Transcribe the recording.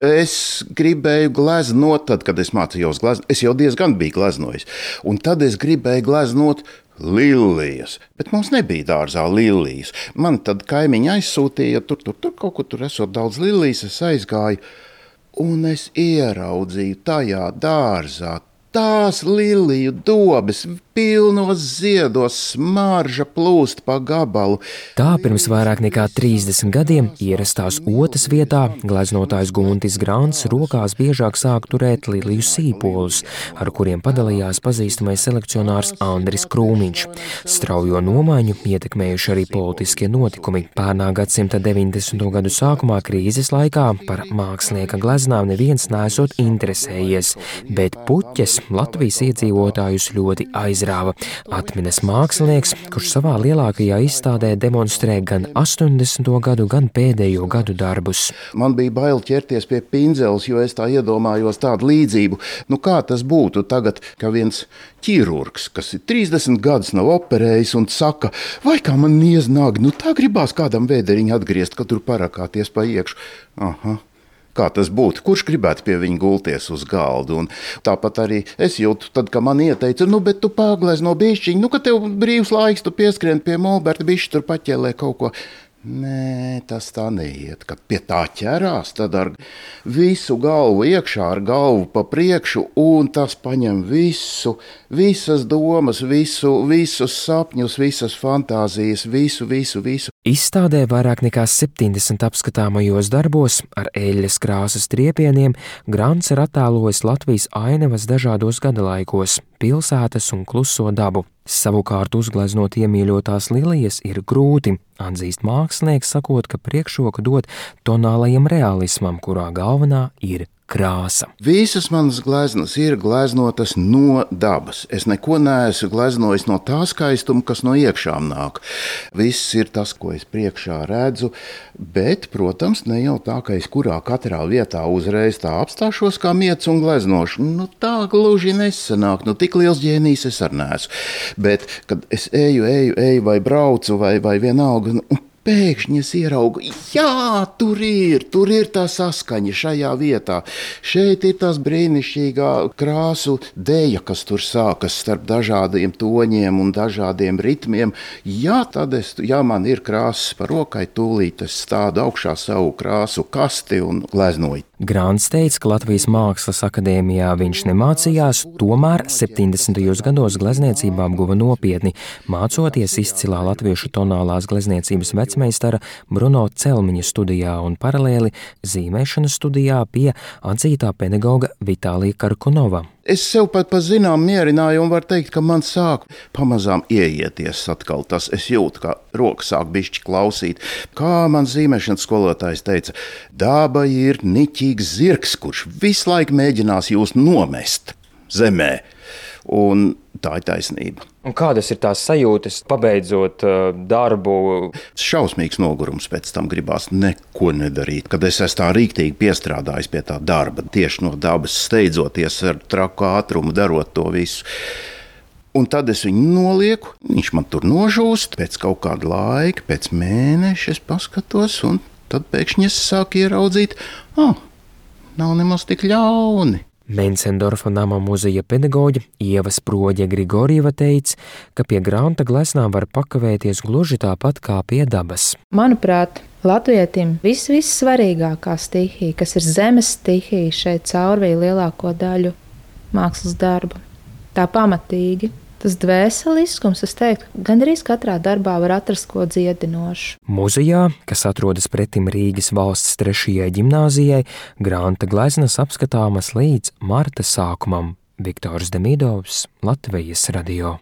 Es gribēju gleznot, tad, kad es mācījos gleznot, es jau diezgan biju gleznojis. Un tad es gribēju gleznot lilijas, bet mums nebija dārzā lilijas. Man tad kaimiņi aizsūtīja, tur kaut kur tur esot daudz lilijas, es aizgāju, un es ieraudzīju tajā dārzā tās liliju dobes, pilnos ziedos, smarža plūst pa gabalu. Tā pirms vairāk nekā 30 gadiem ierastās Otas vietā gleznotājs Guntis Grants rokās biežāk sāk turēt liliju sīpolus, ar kuriem padalījās pazīstamais selekcionārs Andris Krūmiņš. Straujo nomaiņu ietekmējuši arī politiskie notikumi. Pērnā gadsimta 90. gadu sākumā krīzes laikā par mākslinieka gleznām neviens neesot interesējies, bet puķes Latvijas iedzīvotājus ļoti aizrāva. Atminas mākslinieks, kurš savā lielākajā izstādē demonstrē gan 80. gadu, gan pēdējo gadu darbus. Man bija bail ķerties pie pinzeles, jo es tā iedomājos tādu līdzību. Kā tas būtu tagad, ka viens ķirurgs, kas ir 30 gadus nav operējis un saka, vai kā man nieznāk, tā gribās kādam vēderiņu atgriezt, ka tur parakāties pa iekšu. Aha. Kā tas būtu? Kurš gribētu pie viņa gulties uz galda? Un tāpat arī es jūtu, tad, kad man ieteica, bet tu paglezno bišķiņu, ka tev brīvs laiks, tu pieskrien pie Molberta, bišķi tur paķēlē kaut ko. Nē, tas tā neiet, kad pie tā ķerās, tad ar visu galvu iekšā, ar galvu pa priekšu, un tas paņem visas domas, visus sapņus, visas fantāzijas, visu. Izstādē vairāk nekā 70 apskatāmajos darbos ar eļļas krāsas triepieniem Grants ir attēlojis Latvijas ainavas dažādos gadalaikos, pilsētas un kluso dabu. Savukārt uzgleznot iemīļotās lilijas ir grūti, atzīst mākslinieks, sakot, ka priekšroku dod tonālajam realismam, kurā galvenā ir krāsa. Visas manas gleznas ir gleznotas no dabas. Es neko neesmu gleznojis no tā skaistuma, kas no iekšām nāk. Viss ir tas, ko es priekšā redzu, bet, protams, ne jau tā, ka es katrā vietā uzreiz tā apstāšos kā miets un gleznošu. Tā gluži nesanāk, tik liels ģēnijs es ar neesmu. Bet, kad es eju vai braucu vai vienalga, pēkšņi es ieraugu, tur ir tā saskaņa šajā vietā. Šeit ir tas brīnišķīgā krāsu deja, kas tur sākas starp dažādiem toņiem un dažādiem ritmiem. Tad man ir krāsas par rokai, tūlīt es stādu augšā savu krāsu kasti un gleznoju. Grants teica, ka Latvijas Mākslas akadēmijā viņš nemācījās, tomēr 70. gados glezniecībā apguva nopietni, mācoties izcilā latviešu tonālās glezniecības vecmeistara Bruno Celmiņa studijā un paralēli zīmēšanas studijā pie atzītā pedagoga Vitālija Karkunova. Es sev pat zinām mierināju un var teikt, ka man sāk pamazām ieieties atkal tas. Es jūtu, kā roka sāk bišķi klausīt. Kā man zīmēšanas skolotājs teica, daba ir niķīgs zirgs, kurš visu laiku mēģinās jūs nomest zemē. Un tā ir taisnība. Un kādas ir tās sajūtas, pabeidzot darbu? Šausmīgs nogurums pēc tam gribās neko nedarīt. Kad es esmu tā rīktīgi piestrādājis pie tā darba, tieši no dabas steidzoties ar traku ātrumu, darot to visu. Un tad es viņu nolieku, viņš man tur nožūst, pēc kaut kāda laika, pēc mēneša es paskatos, un tad pēkšņi es sāku ieraudzīt, nav nemaz tik ļauni. Mencendorfa nama muzeja pedagoģe Ieva Sproģe Grigorjeva teica, ka pie Granta gleznām var pakavēties gluži tāpat kā pie dabas. Manuprāt, latvietim vissvarīgākā stihija, kas ir zemes stihija, šeit caurvīja lielāko daļu mākslas darbu. Tā pamatīgi. Tas dvēseliskums, es teiktu, gandrīz katrā darbā var atrast ko dziedinošu. Muzejā, kas atrodas pretim Rīgas valsts 3. ģimnāzijai, Granta gleznas apskatāmas līdz marta sākumam. Viktors Demidovs, Latvijas radio.